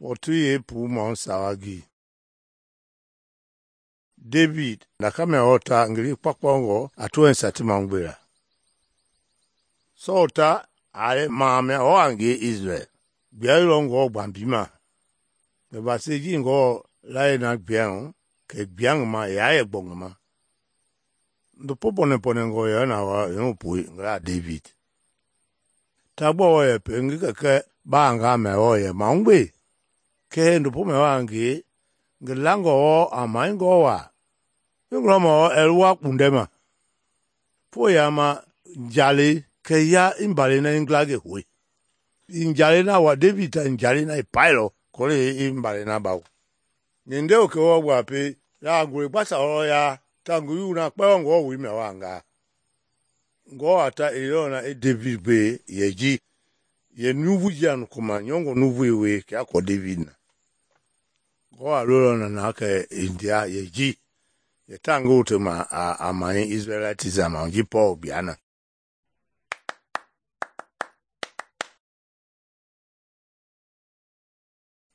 Pɔtu yeepuu mɔ sawa gi. David nakamia ɔta ngili kpakpɔngɔ a toɛnsa ti magbela. Sɔɔl ta a maamia ɔ a ngie Israel. Gbiailɔ Ngewɔ gbambima. Kɛ vasei ji Ngewɔ layie na gbia hu, kɛ gbia ngi ma ya yɛ gbɔ ngi ma. Ndopo pɔnɛpɔnɛngɔ yɛ na wa yɛpui ngi la David. Ta gbɔ wɔ yɛ pe ngi kɛkɛ baanga mɛ wɔ yɛ magbe. Kɛ ndopo mɛ wa ngie ngi langɔ wɔ a maingɔ wa. Ngilɔmɔ ɛluwa kpundɛ ma. Po ya ma njale kɛ ya imbale na ingla ge hoe. Njale na wa David ta njale na ipailɔ kɔle imbale na bawo. Nyende o ke wɔ gba pe ya ngule gbasa wɔ ya ta ngi yu na kpɛ Ngewɔ woi mɛ wa nga. Ngewɔ a ta elɔ na e David gbe yɛ ji yɛ nuvu ji anu koma nyɔngɔ nuvu we kɛ akɔ David na. Ngewɔ a lolɔ na na kɛ India yɛ ji yɛ ta ngi wote ma a mai Israelite zama ji Paul biana.